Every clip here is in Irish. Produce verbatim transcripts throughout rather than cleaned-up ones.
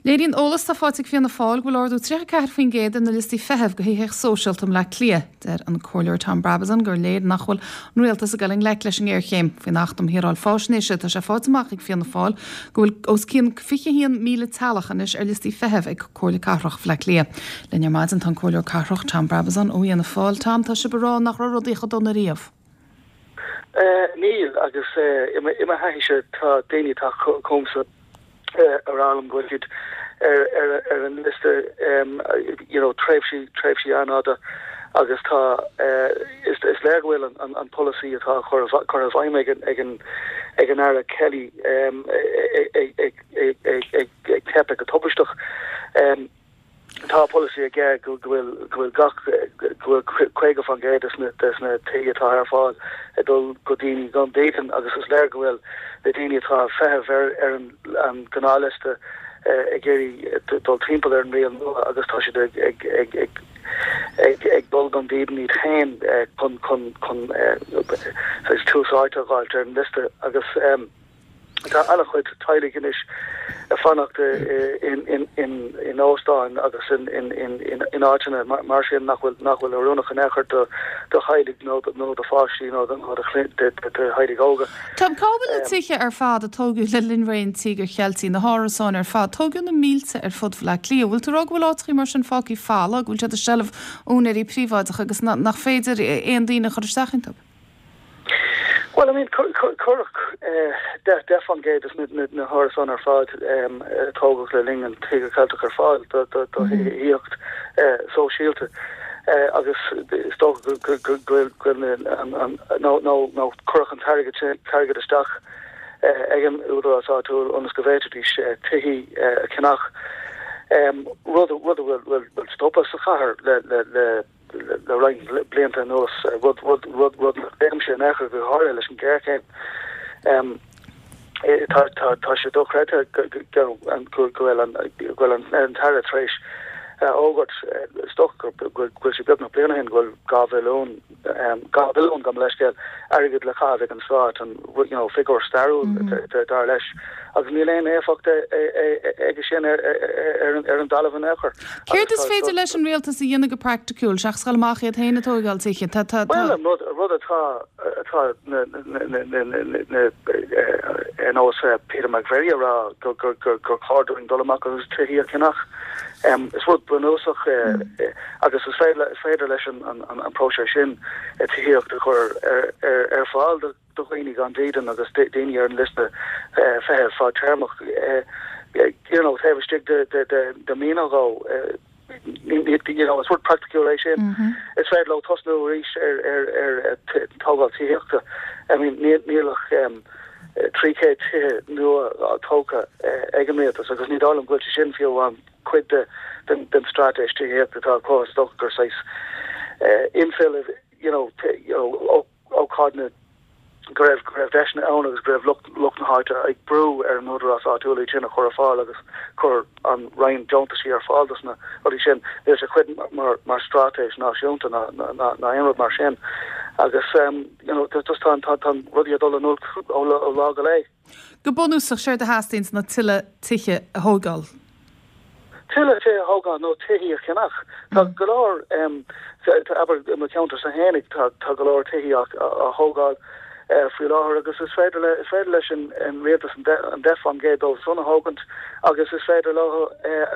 Léiríonn eolas atá faighte ag Fianna Fáil go bhfuil ardú tríocha ceathair faoin gcéad ar na liostaí feithimh do thithíocht sóisialta i mBleá Cliath. Deir an Comhairleoir Tom Brabazon gur léir nach bhfuil an rialtas ag dul i ngleic leis an ngéarchéim. Faoin Acht um Shaoráil Faisnéise tá sé faighte amach ag Fianna Fáil go bhfuil os cionn fiche haon míle teaghlach anois ar liostaí feithimh ag Comhairle Cathrach Bhaile Átha Cliath. Linn ar maidin tá an Comhairleoir Cathrach Tom Brabazon ó Fhianna Fáil. Tom tá sibh ag rá nach raibh rudaí chomh dona riamh. Níl agus i mo thaithíse tá daoine atá chugam ag rá liom go bhfuil siad ar ar ar an liosta you know tréimhsí tréimhsí an-fhada agus tá is is léir go bhfuil an an polasaí atá chur chur i bhfeidhm ag an ag an ag an Aire Kelly ag ag ag ag ag teipeadh go tubaisteach. Tá polasaí aige go bhfuil go bhfuil gach go bhfuil caoga faoin gcéad des na tithe atá ar fáil ag dul go daoine gan dídean agus is léir go bhfuil na daoine atá feitheamh ar ar an an gnáthliosta ag iarraidh dul timpeall ar an riail nua agus tá siad ag ag ag ag ag ag dul gan dídean iad féin chun chun chun tús áite a fháilt ar an liosta agus um, Tá an-chuid teaghlaigh anois ag fanacht in in in in óstáin agus in in in in in áiteanna mar sin nach bhfuil nach bhfuil oiriúnach in aon chor do do theaghlaigh nó nó do pháistí nó do do theaghlaigh óga. Tom cá bhfuil na tithe ar fad a tógadh le linn ré an Tíogair Cheiltigh na hárasáin ar fad, tógadh na mílte ar fud Bhaile Átha Cliath, bhfuil tú ag rá go bhfuil áiteachaí mar sin fágtha folamh, go bhfuil siad i seilbh úinéirí príobháideacha agus nach féidir aon daoine a chur isteach iontu? Well, I mean cuireadh deich faoin gcéad des na hárasáin ar fad tógadh le linn an Tíogar Ceilteach ar fáil do thithíocht sóisialta agus is dócha go bhfuil nó cuireadh an t-airgead isteach ag an údarás áitiúil ionas go bhféadfaidís tithe a cheannach rud rud a bhfuil stoptha sa chathair le le le le roinnt blianta anuas rud rud rud rud nach sé nechar go háirithe leis an géarchéim. Um, tá tá tá sé dochreidte go bhfuil an bhfuil an an tAire tar éis fhógairt is dócha go bhfuil sé beagnach bliain ó shin go bhfuil dhá bhilliún dhá bhilliún gabh mo leithscéal airgead le caitheamh ag an stát an you know figiúr stairiúil dar leis agus níl aon éifeacht aige sin ar ar an dtalamh in aon chor. Céard is féidir leis an rialtas a dhéanamh go praiticiúil seachas dul amach iad féin ag tógáil tithe tá tá Well an rud rud atá atá na na ar nós Peter McVerry a rá gur gur gur gur chóir dúinn dul amach agus tithe a cheannach. Um, is rud bunúsach agus is féidir is féidir leis an an an próiseas sin tithíocht a chur ar ar ar fáil do do dhaoine gan dídean agus daoine ar an liosta feithimh fadtéarmach you know taobh istigh de de de de mí nó dhó you know is rud praiticiúil é sin. Is féidir leo tosnú arís ar ar ar tógáil tithíochta. I mean níl níl ach um, trí chéad tithe nua tógtha ag an rialtas agus ní dóigh liom go bhfuil sé sin fiú an cuid de den den straitéis tithíochta atá acu is dócha gur saghas infill you know you know ócáid go raibh go raibh deiseanna ann agus go raibh lucht lucht na háite ag brú ar an údarás áitiúil iad sin a chur ar fáil agus chuir an Roinn deontaisí ar fáil dos na rudaí sin níl sé cuid mar mar straitéis náisiúnta ná ná ná aon rud mar sin agus um, you know just tá tá tá rudaí ag dul in olc ó ó lá go lá. Go bunúsach séard a theastaíonn ná tuilleadh tithe a thógáil. Tuilleadh tithe a thógáil nó tithe a cheannach. Tá go leor um, abair i mo cheantar féinig tá tá go leor tithe á thógáil faoi láthair agus is féidir le is féidir leis an an rialtas an deich faoin gcéad dóibh san a thógaint agus is féidir leo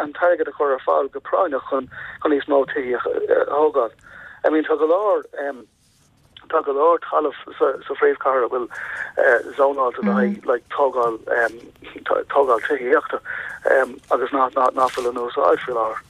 an t-airgead a chur ar fáil go práinneach chun chun níos mó tithe a thógáil. I mean tá go leor um, tá go leor talamh sa, sa phríomhchathair a bhfuil uh, zónáilte le haghaidh like, tógáil um, tógáil tithíochta um, agus ná ná ná fuil in úsáid faoi láthair.